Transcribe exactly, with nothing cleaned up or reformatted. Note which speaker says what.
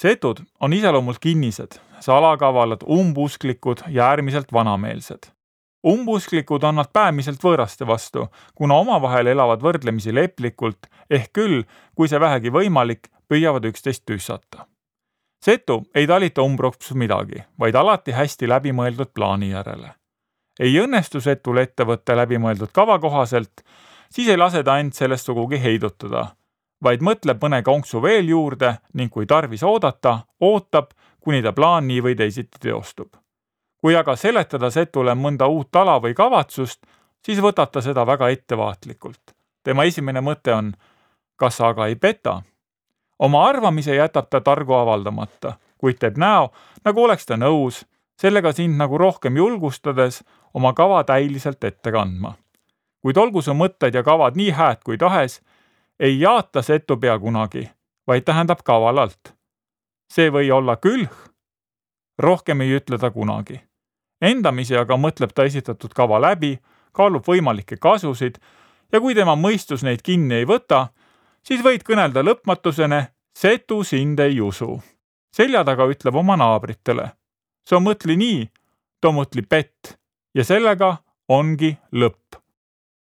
Speaker 1: Setud on iseloomult kinnised, salakavalad, umbusklikud ja äärmiselt vanameelsed. Umbusklikud on nad päämiselt võõraste vastu, kuna omavahel elavad võrdlemisi leplikult, ehk küll, kui see vähegi võimalik, püüavad üksteist tüssata. Setu ei talita umbroks midagi, vaid alati hästi läbimõeldud plaani järele. Ei õnnestu setul ettevõtte läbimõeldud kava kohaselt, siis ei lase ta end sellest sugugi heidutada, vaid mõtleb mõne konksu veel juurde ning kui tarvis oodata, ootab, kuni ta plaan nii või teisiti teostub. Kui aga seletada setule mõnda uut ala või kavatsust, siis võtab ta seda väga ettevaatlikult. Tema esimene mõte on, kas sa aga ei peta? Oma arvamise jätab ta targu avaldamata, kuid teeb näo, nagu oleks ta nõus, sellega sind nagu rohkem julgustades oma kava täiliselt ette kandma. Kuid olgu su mõtted ja kavad nii hääd kui tahes, ei jaata setu pea kunagi, vaid tähendab kavalalt. See või olla külh, rohkem ei ütle ta kunagi. Endamisi aga mõtleb ta esitatud kava läbi, kaalub võimalikke kasusid ja kui tema mõistus neid kinni ei võta, siis võid kõnelda lõpmatusene, setu sind ei usu. Selja taga ütleb oma naabritele. So mõtli nii, to mõtli pett ja sellega ongi lõpp.